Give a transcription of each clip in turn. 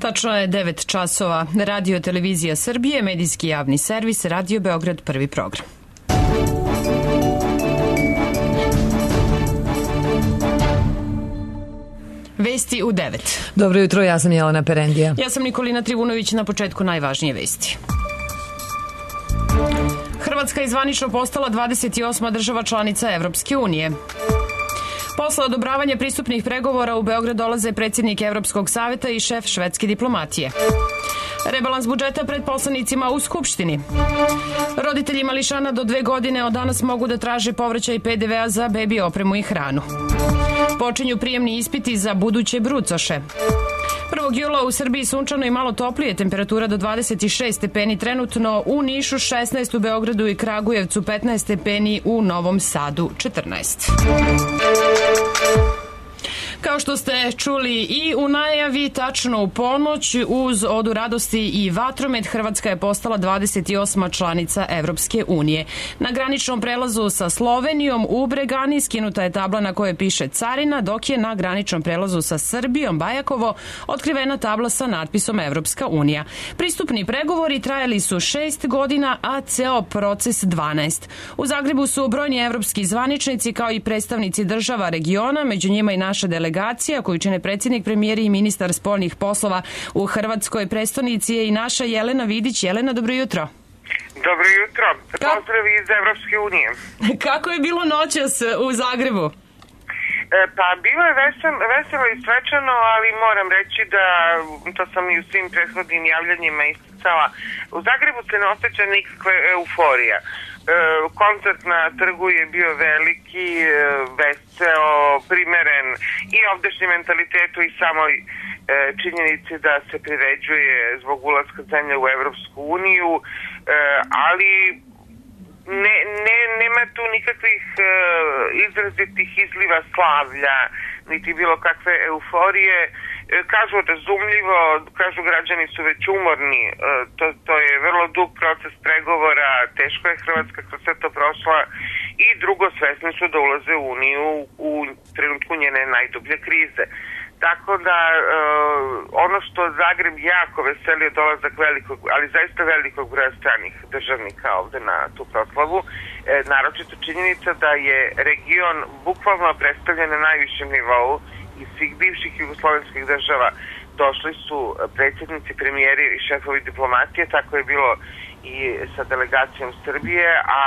Tačno je 9 časova. Radio Televizija Srbije, medijski javni servis, Radio Beograd, prvi program. Vesti u 9. Dobro jutro, ja sam Jelena Perendija. Ja sam Nikolina Trivunović, na početku najvažnije vesti. Hrvatska je zvanično postala 28. država članica Evropske unije. Posle odobravanja pristupnih pregovora u Beograd dolaze predsjednik Evropskog saveta i šef švedske diplomatije. Rebalans budžeta pred poslanicima u Skupštini. Roditelji mališana do 2 godine od danas mogu da traže povraćaj PDV-a za bebi opremu i hranu. Počinju prijemni ispiti za buduće brucoše. 1. jula u Srbiji sunčano i malo toplije, temperatura do 26 stepeni trenutno, u Nišu 16, u Beogradu i Kragujevcu 15 stepeni, u Novom Sadu 14. Kao što ste čuli i u najavi, tačno u ponoć, uz odu radosti i vatromet, Hrvatska je postala 28. članica Evropske unije. Na graničnom prelazu sa Slovenijom u Bregani skinuta je tabla na kojoj piše carina, dok je na graničnom prelazu sa Srbijom, Bajakovo, otkrivena tabla sa natpisom Evropska unija. Pristupni pregovori trajali su 6 godina, a ceo proces 12. U Zagrebu su brojni evropski zvaničnici kao i predstavnici država regiona, među njima i naša delegacija koju čine predsjednik, premijer i ministar spoljnih poslova u Hrvatskoj prestonici je i naša Jelena Vidić. Jelena, dobro jutro. Dobro jutro. Pozdrav iz Evropske unije. Kako je bilo noćas u Zagrebu? Pa bilo je veselo i svečano, ali moram reći da, to sam i u svim prethodnim javljanjima isticala, u Zagrebu se ne osjeća nikakva euforija. Koncert na trgu je bio veliki, veseo, primeren i ovdešnjem mentalitetu i samoj činjenici da se priređuje zbog ulaska zemlje u Evropsku uniju, ali nema tu nikakvih izrazitih izliva slavlja, niti bilo kakve euforije. Kažu razumljivo, kažu građani su već umorni, to je vrlo dug proces pregovora, teško je Hrvatska kroz sve to prošla, i drugo, svesni su da ulaze u Uniju u trenutku njene najdublje krize. Tako da ono što Zagreb jako veseli je dolazak velikog, ali zaista velikog broja stranih državnika ovde na tu proslavu, naročito činjenica da je region bukvalno predstavljen na najvišem nivou iz svih bivših jugoslovenskih država. Došli su predsjednici, premijeri i šefovi diplomatije, tako je bilo i sa delegacijom Srbije, a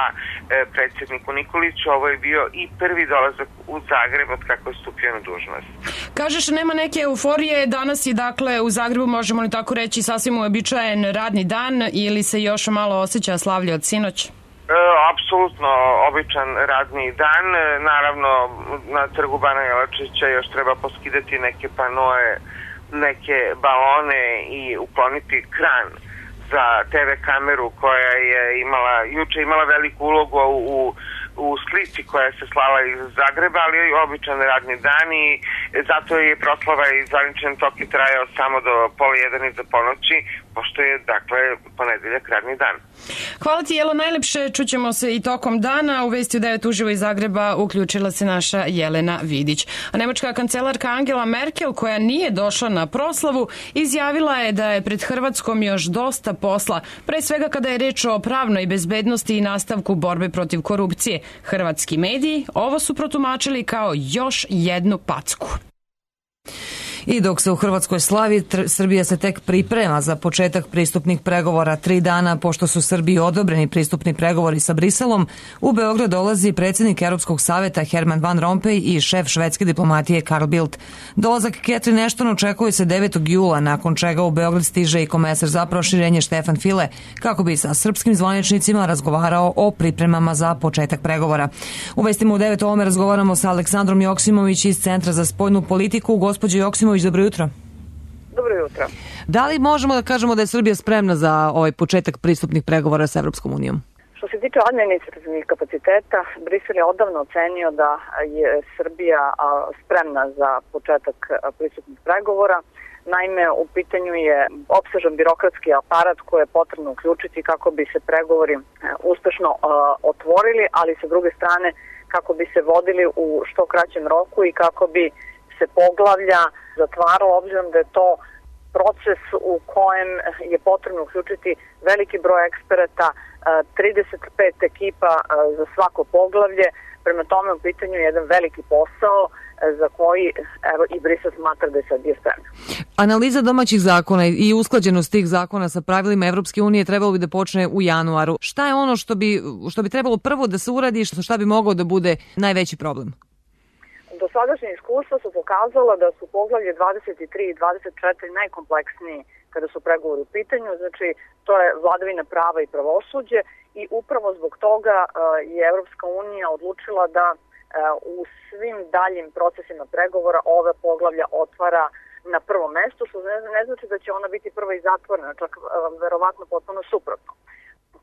predsjedniku Nikoliću ovo je bio i prvi dolazak u Zagreb od kako je stupio na dužnost. Kažeš, nema neke euforije, danas je dakle u Zagrebu, možemo li tako reći, sasvim uobičajen radni dan ili se još malo osjeća slavlje od sinoć? Apsolutno običan radni dan. Naravno, na trgu Bana Jelačića još treba poskidati neke panoe, neke balone i ukloniti kran za TV kameru koja je juče imala veliku ulogu u slici koja se slala iz Zagreba, ali je običan radni dan i zato je proslava i zvaničan tok je trajao samo do 12:30 iza ponoći, pošto je, dakle, ponedeljak radni dan. Hvala ti, Jelo, najlepše. Čućemo se i tokom dana. U Vesti u 9 uživo iz Zagreba uključila se naša Jelena Vidić. A nemačka kancelarka Angela Merkel, koja nije došla na proslavu, izjavila je da je pred Hrvatskom još dosta posla, pre svega kada je reč o pravnoj bezbednosti i nastavku borbe protiv korupcije. Hrvatski mediji ovo su protumačili kao još jednu packu. I dok se u Hrvatskoj slavi, Srbija se tek priprema za početak pristupnih pregovora. 3 dana pošto su Srbiji odobreni pristupni pregovori sa Briselom, u Beograd dolazi predsjednik Europskog saveta Herman Van Rompuy i šef švedske diplomatije Carl Bildt. Dolazak Catherine Ashton očekuje se 9. jula, nakon čega u Beograd stiže i komesar za proširenje Štefan File, kako bi sa srpskim zvaničnicima razgovarao o pripremama za početak pregovora. U Vestima u 9 ovome razgovaramo sa Aleksandrom Joksimović iz Centra za spoljnu politiku. Gospođo Joksimović, dobro jutro. Dobro jutro. Da li možemo da kažemo da je Srbija spremna za ovaj početak pristupnih pregovora sa Evropskom unijom? Što se tiče administrativnih kapaciteta, Brisel je odavno ocenio da je Srbija spremna za početak pristupnih pregovora. Naime, u pitanju je opsežan birokratski aparat koji je potrebno uključiti kako bi se pregovori uspešno otvorili, ali sa druge strane kako bi se vodili u što kraćem roku i kako bi se poglavlja zatvaralo, obzirom da je to proces u kojem je potrebno uključiti veliki broj eksperata, 35 ekipa za svako poglavlje. Prema tome u pitanju je jedan veliki posao za koji i Brisel smatra da je Srbija spremna. Analiza domaćih zakona i usklađenost tih zakona sa pravilima Evropske unije trebalo bi da počne u januaru. Šta je ono što bi trebalo prvo da se uradi i šta bi mogao da bude najveći problem? Dosadašnje iskustva su pokazala da su poglavlje 23 i 24 najkompleksniji kada su pregovori u pitanju, znači to je vladavina prava i pravosuđe i upravo zbog toga je Evropska unija odlučila da u svim daljim procesima pregovora ove poglavlja otvara na prvom mestu, što ne znači da će ona biti prva i zatvorena, čak verovatno potpuno suprotno.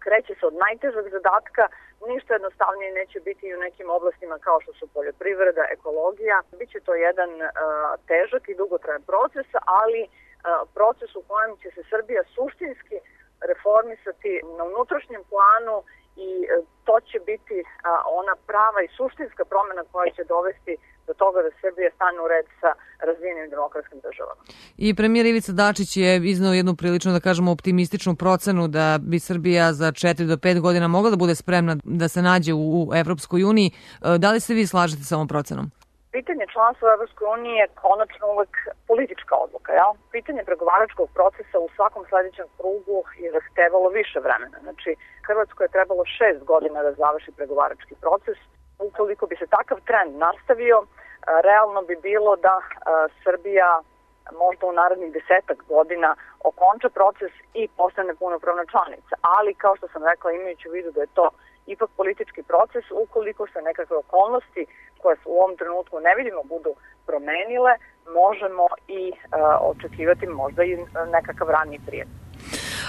Kreće se od najtežeg zadatka, ništa jednostavnije neće biti i u nekim oblastima kao što su poljoprivreda, ekologija. Biće to jedan težak i dugotrajan proces, ali proces u kojem će se Srbija suštinski reformisati na unutrašnjem planu i to će biti ona prava i suštinska promjena koja će dovesti do toga da Srbija stane u red sa razvijenim demokratskim državama. I premijer Ivica Dačić je izneo jednu prilično, da kažemo, optimističnu procenu da bi Srbija za 4 do 5 godina mogla da bude spremna da se nađe u Evropskoj uniji. Da li se vi slažete sa ovom procenom? Pitanje članstva u Evropskoj uniji je konačno uvek politička odluka. Ja? Pitanje pregovaračkog procesa u svakom sledećem krugu je zahtevalo više vremena. Znači, Hrvatskoj je trebalo 6 godina da završi pregovarački proces. Ukoliko bi se takav trend nastavio, realno bi bilo da Srbija možda u narednih 10 godina okonča proces i postane punopravna članica. Ali, kao što sam rekla, imajući u vidu da je to ipak politički proces, ukoliko se nekakve okolnosti koje u ovom trenutku ne vidimo budu promenile, možemo i očekivati možda i nekakav raniji prijem.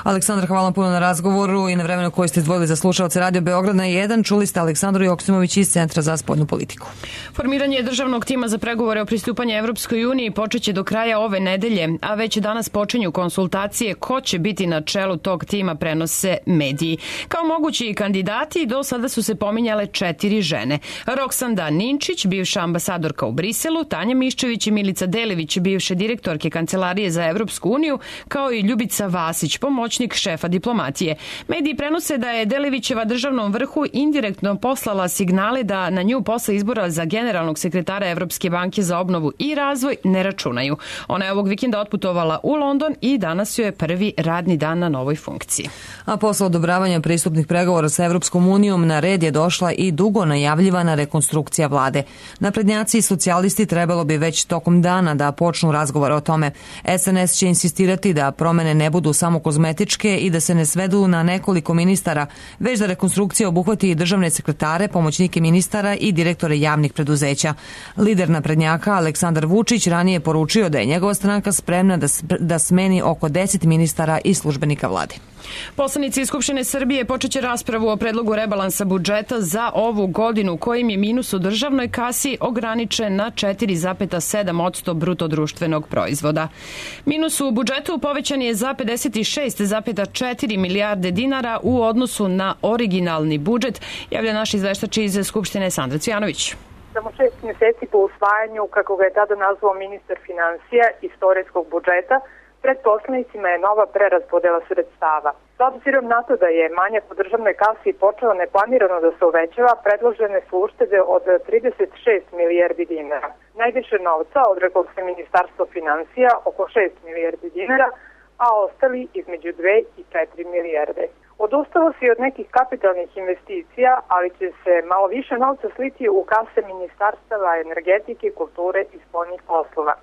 Aleksandra, hvala puno na razgovoru i na vremenu koje ste izdvojili za slušalce Radio Beograd na 1. Čuli ste Aleksandru Joksimović iz Centra za spoljnu politiku. Formiranje državnog tima za pregovore o pristupanju Evropskoj uniji počeće do kraja ove nedelje, a već danas počinju konsultacije ko će biti na čelu tog tima, prenose mediji. Kao mogući kandidati do sada su se pominjale 4 žene. Roksanda Ninčić, bivša ambasadorka u Briselu, Tanja Miščević i Milica Delević, bivše direktorke Kancelarije za Evropsku uniju, kao i Ljubica Vasić, pomoćnik šefa diplomatije. Mediji prenose da je Delevićeva državnom vrhu indirektno poslala signale da na nju posle izbora za generalnog sekretara Evropske banke za obnovu i razvoj ne računaju. Ona je ovog vikenda otputovala u London i danas joj je prvi radni dan na novoj funkciji. A posle odobravanja pristupnih pregovora sa Evropskom unijom na red je došla i dugo najavljivana rekonstrukcija vlade. Naprednjaci i socijalisti trebalo bi već tokom dana da počnu razgovore o tome. SNS će insistirati da promene ne budu samo kozmetičke i da se ne svedu na nekoliko ministara, već da rekonstrukcija obuhvati i državne sekretare, pomoćnike ministara i direktore javnih preduzeća. Lider naprednjaka Aleksandar Vučić ranije poručio da je njegova stranka spremna da smeni oko 10 ministara i službenika vlade. Poslanici Skupštine Srbije počeće raspravu o predlogu rebalansa budžeta za ovu godinu, kojim je minus u državnoj kasi ograničen na 4,7% bruto društvenog proizvoda. Minus u budžetu povećan je za 56,4 milijarde dinara u odnosu na originalni budžet, javlja naš izveštač iz Skupštine Sandra Cvijanović. Samo 6 mjeseci po usvajanju, kako ga je tada nazvao ministar finansija, istorijskog budžeta, pred poslanicima je nova preraspodela sredstava. S obzirom na to da je manjak u državnoj kasi počeo neplanirano da se uvećava, predložene su uštede od 36 milijardi dinara. Najviše novca odreklo se Ministarstvo finansija, oko 6 milijardi dinara, a ostali između 2 i 4 milijarde. Odustalo se i od nekih kapitalnih investicija, ali će se malo više novca sliti u kase ministarstava energetike, kulture i spoljnih poslova.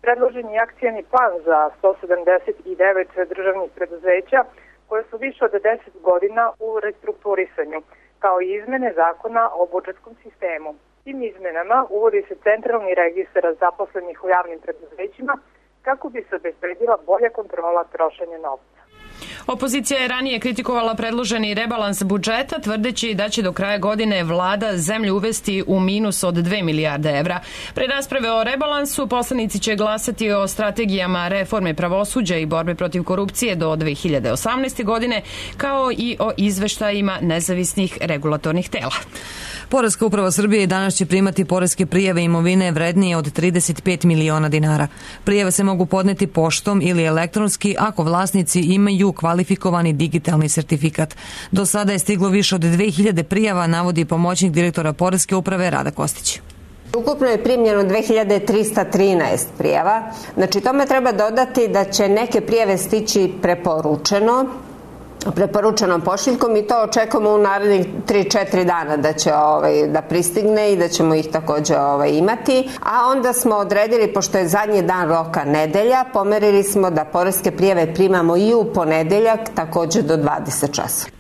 Predložen je akcijni plan za 179 državnih preduzeća koje su više od 10 godina u restrukturisanju, kao i izmene zakona o budžetskom sistemu. Tim izmenama uvodi se centralni registar zaposlenih u javnim preduzećima kako bi se obezbedila bolja kontrola trošenja novca. Opozicija je ranije kritikovala predloženi rebalans budžeta, tvrdeći da će do kraja godine vlada zemlju uvesti u minus od 2 milijarde evra. Pre rasprave o rebalansu, poslanici će glasati o strategijama reforme pravosuđa i borbe protiv korupcije do 2018. godine, kao i o izveštajima nezavisnih regulatornih tela. Poreska uprava Srbije i danas će primati poreske prijave imovine vrednije od 35 miliona dinara. Prijave se mogu podneti poštom ili elektronski ako vlasnici imaju kvalifikovani digitalni sertifikat. Do sada je stiglo više od 2000 prijava, navodi pomoćnik direktora Poreske uprave Rada Kostić. Ukupno je primljeno 2313 prijava. Znači, tome treba dodati da će neke prijave stići preporučenom pošiljkom i to očekujemo u narednih 3-4 dana da će da pristigne i da ćemo ih takođe imati. A onda smo odredili, pošto je zadnji dan roka nedelja, pomerili smo da poreske prijave primamo i u ponedeljak takođe do 20 časova.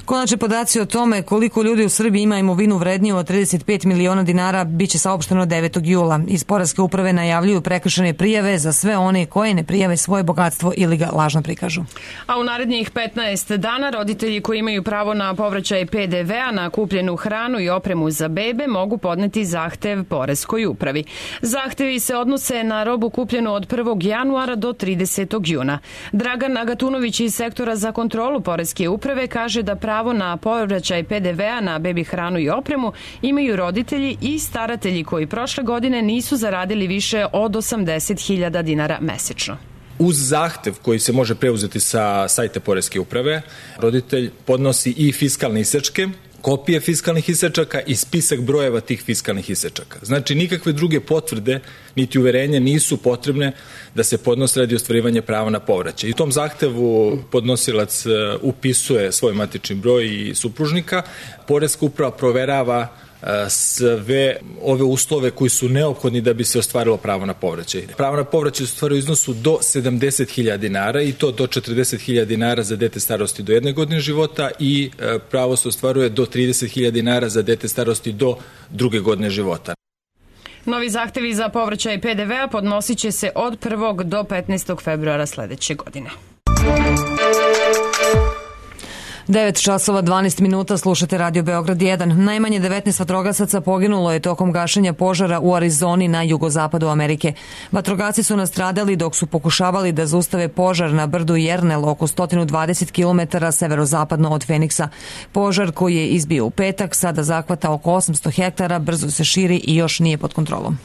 Konačni podaci o tome koliko ljudi u Srbiji ima imovinu vredniju od 35 miliona dinara biće saopšteno 9. jula. Iz Poreske uprave najavljuju prekršene prijave za sve one koje ne prijave svoje bogatstvo ili ga lažno prikažu. A u narednih 15 dana roditelji koji imaju pravo na povraćaj PDV-a na kupljenu hranu i opremu za bebe mogu podneti zahtev Poreskoj upravi. Zahtevi se odnose na robu kupljenu od 1. januara do 30. juna. Dragan Agatunović iz sektora za kontrolu Poreske uprave kaže da pravo na povraćaj PDV-a na bebi hranu i opremu imaju roditelji i staratelji koji prošle godine nisu zaradili više od 80.000 dinara mesečno. Uz zahtev koji se može preuzeti sa sajta Poreske uprave, roditelj podnosi i fiskalne isečke, kopije fiskalnih isečaka i spisak brojeva tih fiskalnih isečaka. Znači, nikakve druge potvrde niti uverenja nisu potrebne da se podnose radi ostvarivanja prava na povraćaj. I u tom zahtevu podnosilac upisuje svoj matični broj i supružnika. Poreska uprava proverava sve ove uslove koji su neophodni da bi se ostvarilo pravo na povraćaj. Pravo na povraćaj se ostvaruje u iznosu do 70.000 dinara i to do 40.000 dinara za dete starosti do 1 godine života i pravo se ostvaruje do 30.000 dinara za dete starosti do 2 godine života. Novi zahtevi za povraćaj PDV-a podnosit će se od 1. do 15. februara sledeće godine. 9 časova 12 minuta, slušate Radio Beograd 1. Najmanje 19 vatrogasaca poginulo je tokom gašenja požara u Arizoni na jugozapadu Amerike. Vatrogasci su nastradali dok su pokušavali da zaustave požar na brdu Jernel oko 120 km severozapadno od Feniksa. Požar koji je izbio u petak sada zahvata oko 800 hektara, brzo se širi i još nije pod kontrolom.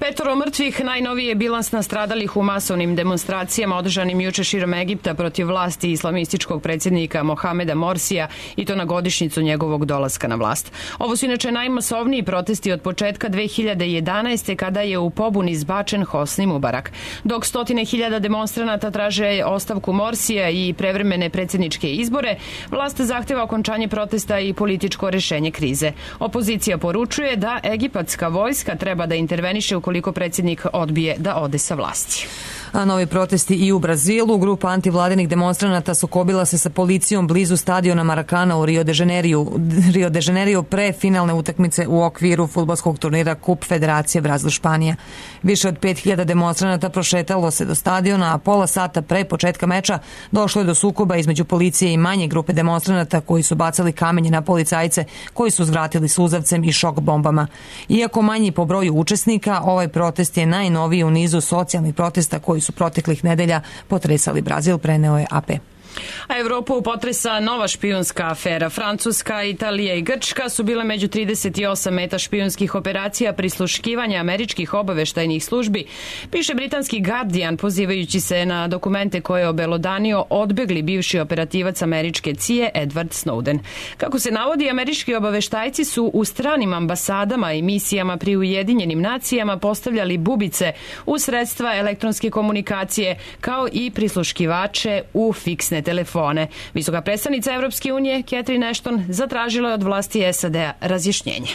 5 mrtvih, najnoviji je bilans nastradalih u masovnim demonstracijama održanim juče širom Egipta protiv vlasti islamističkog predsjednika Mohameda Morsija i to na godišnjicu njegovog dolaska na vlast. Ovo su inače najmasovniji protesti od početka 2011. kada je u pobuni izbačen Hosni Mubarak. Dok 100.000 demonstranata traže ostavku Morsija i prevremene predsjedničke izbore, vlast zahteva okončanje protesta i političko rešenje krize. Opozicija poručuje da egipatska vojska treba da interveniše ukoliko predsjednik odbije da ode sa vlasti. A novi protesti i u Brazilu. Grupa antivladinih demonstranata sukobila se sa policijom blizu stadiona Maracana u Rio de Janeiro pre finalne utakmice u okviru fudbalskog turnira Kup Federacije Brazil-Španija. Više od 5000 demonstranata prošetalo se do stadiona, a pola sata pre početka meča došlo je do sukoba između policije i manje grupe demonstranata koji su bacali kamenje na policajce koji su zvratili suzavcem i šok bombama. Iako manji po broju učesnika, ovaj protest je najnoviji u nizu socijalnih protesta koji su proteklih nedelja potresali Brazil, preneo je AP. A Evropu potresa nova špijunska afera. Francuska, Italija i Grčka su bile među 38 meta špijunskih operacija prisluškivanja američkih obaveštajnih službi, piše britanski Guardian pozivajući se na dokumente koje je obelodanio odbegli bivši operativac američke CIA Edward Snowden. Kako se navodi, američki obaveštajci su u stranim ambasadama i misijama pri Ujedinjenim nacijama postavljali bubice u sredstva elektronske komunikacije kao i prisluškivače u fiksne telefone. Visoka predstavnica Evropske unije Catherine Ashton zatražila je od vlasti SAD-a razjašnjenje.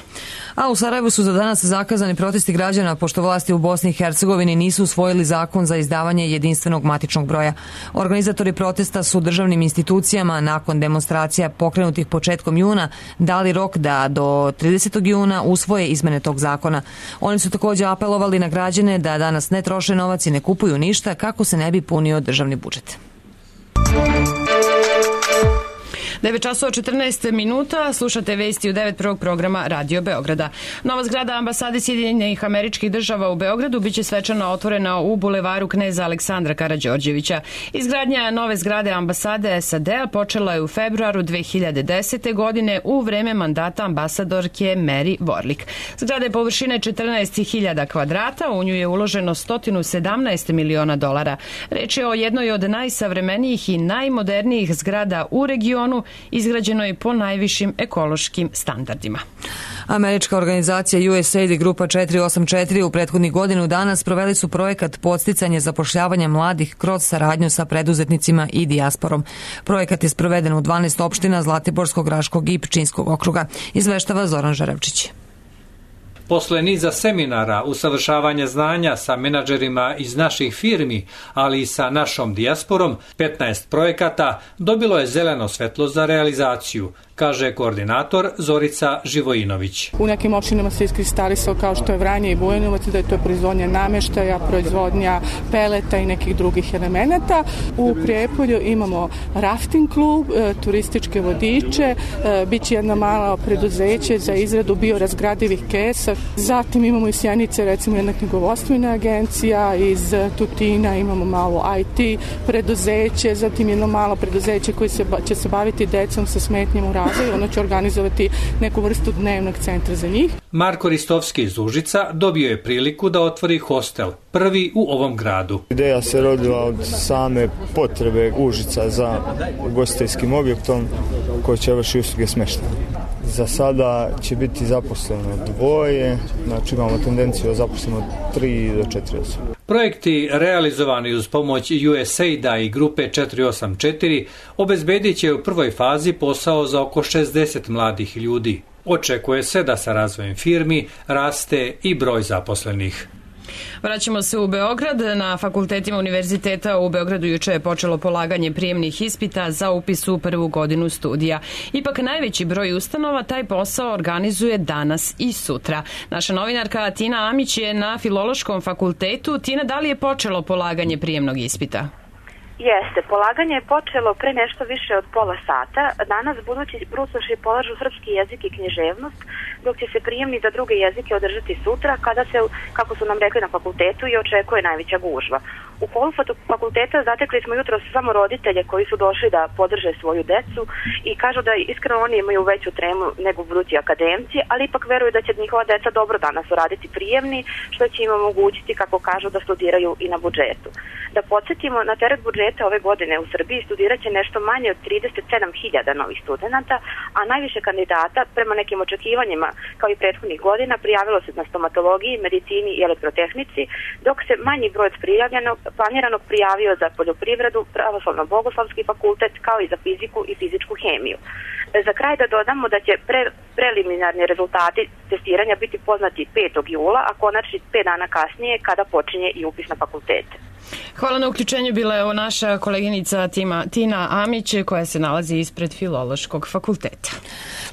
A u Sarajevu su za danas zakazani protesti građana pošto vlasti u Bosni i Hercegovini nisu usvojili zakon za izdavanje jedinstvenog matičnog broja. Organizatori protesta su državnim institucijama nakon demonstracija pokrenutih početkom juna dali rok da do 30. juna usvoje izmene tog zakona. Oni su također apelovali na građane da danas ne troše novac i ne kupuju ništa kako se ne bi punio državni budžet. 9 časova 14 minuta, slušate vesti u 9 prvog programa Radio Beograda. Nova zgrada ambasade Sjedinjenih Američkih Država u Beogradu biće svečano otvorena u bulevaru Kneza Aleksandra Karađorđevića. Izgradnja nove zgrade ambasade SAD-a počela je u februaru 2010. godine u vreme mandata ambasadorke Mary Warlick. Zgrada je površine 14.000 kvadrata, u nju je uloženo $117 miliona. Reč je o jednoj od najsavremenijih i najmodernijih zgrada u regionu, izgrađenoj po najvišim ekološkim standardima. Američka organizacija USAID i grupa 484 u prethodnih godinu dana sproveli su projekat podsticanje zapošljavanja mladih kroz saradnju sa preduzetnicima i dijasporom. Projekat je sproveden u 12 opština Zlatiborskog, Raškog i Pčinjskog okruga. Izveštava Zoran Žarevčić. Posle niza seminara, usavršavanja znanja sa menadžerima iz naših firmi, ali i sa našom dijasporom, 15 projekata dobilo je zeleno svetlo za realizaciju, kaže koordinator Zorica Živojinović. U nekim opštinama se iskristalisao kao što je Vranje i Bujanovac, da je to proizvodnja nameštaja, proizvodnja peleta i nekih drugih elemenata. U Prijepolju imamo rafting klub, turističke vodiče, biće jedno malo preduzeće za izradu biorazgradivih kesa. Zatim imamo iz Sjenice recimo jedna knjigovostvena agencija, iz Tutina imamo malo IT preduzeće, zatim jedno malo preduzeće koje će se baviti decom sa smetnjama u razvoju, ono će organizovati neku vrstu dnevnog centra za njih. Marko Ristovski iz Užica dobio je priliku da otvori hostel, prvi u ovom gradu. Ideja se rodila od same potrebe Užica za ugostiteljskim objektom koji će vršiti usluge smještaja. Za sada će biti zaposleno 2, znači imamo tendenciju da zaposlimo 3 do 4 osobe. Projekti realizovani uz pomoć USAID-a i grupe 484 obezbedit će u prvoj fazi posao za oko 60 mladih ljudi. Očekuje se da sa razvojem firmi raste i broj zaposlenih. Vraćamo se u Beograd. Na fakultetima univerziteta u Beogradu juče je počelo polaganje prijemnih ispita za upis u prvu godinu studija. Ipak najveći broj ustanova taj posao organizuje danas i sutra. Naša novinarka Tina Amić je na Filološkom fakultetu. Tina, da li je počelo polaganje prijemnog ispita? Jeste, polaganje je počelo pre nešto više od pola sata. Danas budući brucoši polažu srpski jezik i književnost, dok će se prijemni za druge jezike održati sutra, kada se, kako su nam rekli na fakultetu, i očekuje najveća gužva. U holu fakulteta zatekli smo jutro samo roditelje koji su došli da podrže svoju decu i kažu da iskreno oni imaju veću tremu nego budući akademci, ali ipak veruju da će njihova deca dobro danas uraditi prijemni, što će im omogućiti, kako kažu, da studiraju i na budžetu. Da podsjetimo, na teret budžeta ove godine u Srbiji studirat će nešto manje od 37.000 novih studenta, a najviše kandidata, prema nekim očekivanjima kao i prethodnih godina, prijavilo se na stomatologiji, medicini i elektrotehnici, dok se manji broj planiranog prijavio za poljoprivredu, pravoslavno-bogoslavski fakultet, kao i za fiziku i fizičku hemiju. Za kraj da dodamo da će preliminarni rezultati testiranja biti poznati 5. jula, a konačni 5 dana kasnije kada počinje i upis na fakultete. Hvala na uključenju, bila je naša koleginica Tina Amić koja se nalazi ispred Filološkog fakulteta.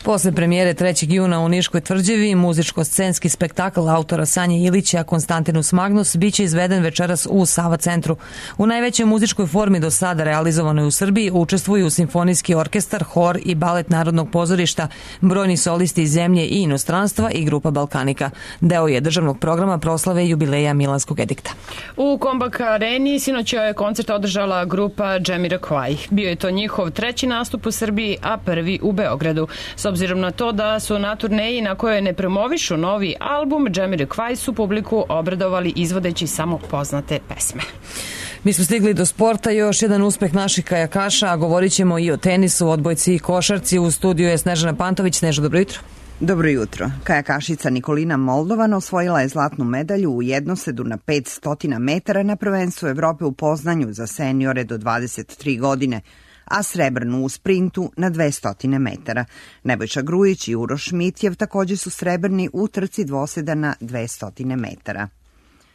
Posle premijere 3. juna u Niškoj tvrđavi, muzičko-scenski spektakl autora Sanje Ilića Konstantinus Magnus biće izveden večeras u Sava centru. U najvećoj muzičkoj formi do sada realizovanoj u Srbiji učestvuju simfonijski orkestar, hor i balet Narodnog pozorišta, brojni solisti iz zemlje i inostranstva i grupa Balkanika. Deo je državnog programa proslave jubileja Milanskog edikta. U Kombak Areni sinoć je koncert održala grupa Jamiroquai. Bio je to njihov 3. nastup u Srbiji, a 1. u Beogradu. S obzirom na to da su na turneji na kojoj ne promovišu novi album, Jamiroquai su publiku obradovali izvodeći samo poznate pesme. Mi smo stigli do sporta, još jedan uspeh naših kajakaša, a govorit ćemo i o tenisu, odbojci i košarci. U studiju je Snežana Pantović. Sneža, dobro jutro. Dobro jutro. Kajakašica Nikolina Moldovan osvojila je zlatnu medalju u jednosedu na 500 metara na prvenstvu Evrope u Poznanju za seniore do 23 godine, a srebrnu u sprintu na 200 metara. Nebojša Grujić i Uroš Mitjev također su srebrni u trci dvoseda na 200 metara.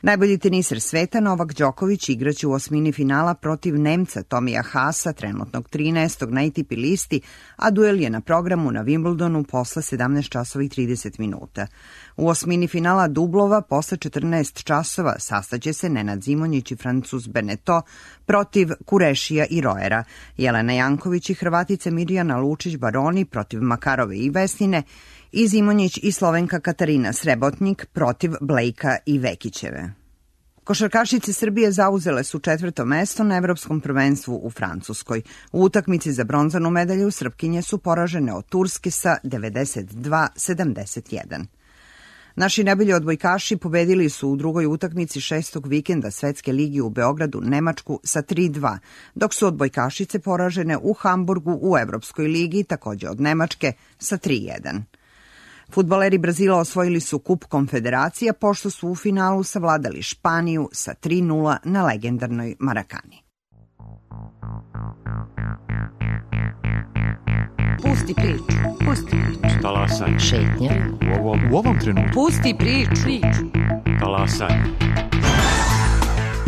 Najbolji teniser sveta Novak Đoković igraće u osmini finala protiv Nemca Tomija Haasa, trenutnog 13. na ATP listi, a duel je na programu na Wimbledonu posle 17 časova i 30 minuta. U osmini finala dublova posle 14 časova sastaće se Nenad Zimonjić i Francuz Beneto protiv Kurešija i Roera, Jelena Janković i Hrvatica Mirjana Lučić-Baroni protiv Makarove i Vesnine i Zimonjić i Slovenka Katarina Srebotnik protiv Blejka i Vekićeve. Košarkašice Srbije zauzele su 4. mesto na Evropskom prvenstvu u Francuskoj. U utakmici za bronzanu medalju Srpkinje su poražene od Turske sa 92-71. Naši najbolji odbojkaši pobedili su u drugoj utakmici 6. vikenda Svetske ligi u Beogradu Nemačku sa 3-2, dok su odbojkašice poražene u Hamburgu u Evropskoj ligi takođe od Nemačke sa 3-1. Fudbaleri Brazila osvojili su Kup Konfederacija pošto su u finalu savladali Španiju sa 3-0 na legendarnoj Marakani. Pusti priču. Pusti priču. Talasaj. Šetnja. U ovom trenutku. Pusti priču. Talasaj.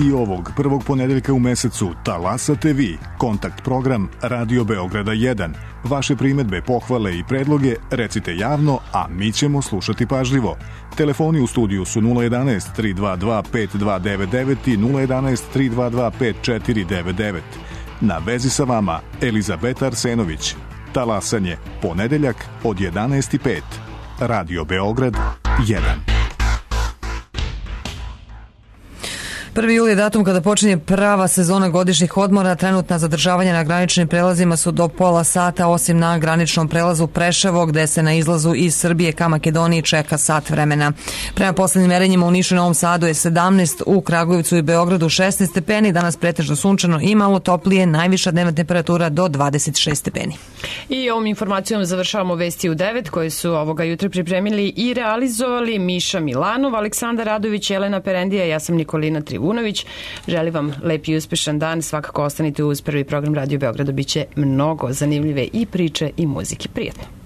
I ovog prvog ponedeljka u mesecu talasate vi. Kontakt program Radio Beograda 1. Vaše primedbe, pohvale i predloge recite javno, a mi ćemo slušati pažljivo. Telefoni u studiju su 011 322 5299 i 011 322 5499. Na vezi sa vama Elizabeta Arsenović. Talasanje, ponedeljak od 11:05. Radio Beograd 1. 1. jul je datum kada počinje prava sezona godišnjih odmora. Trenutna zadržavanja na graničnim prelazima su do pola sata, osim na graničnom prelazu Preševo, gde se na izlazu iz Srbije ka Makedoniji čeka sat vremena. Prema poslednjim merenjima u Nišu i Novom Sadu je 17, u Kragujevcu i Beogradu 16 stepeni, danas pretežno sunčano i malo toplije, najviša dnevna temperatura do 26 stepeni. I ovom informacijom završavamo vesti u 9 koje su ovoga jutra pripremili i realizovali Miša Milanov, Aleksandar Radović, Jelena Perendija, ja sam Nikolina Trivunović. Želim vam lep i uspešan dan, svakako ostanite uz prvi program Radio Beograda, biće mnogo zanimljive i priče i muzike. Prijetno.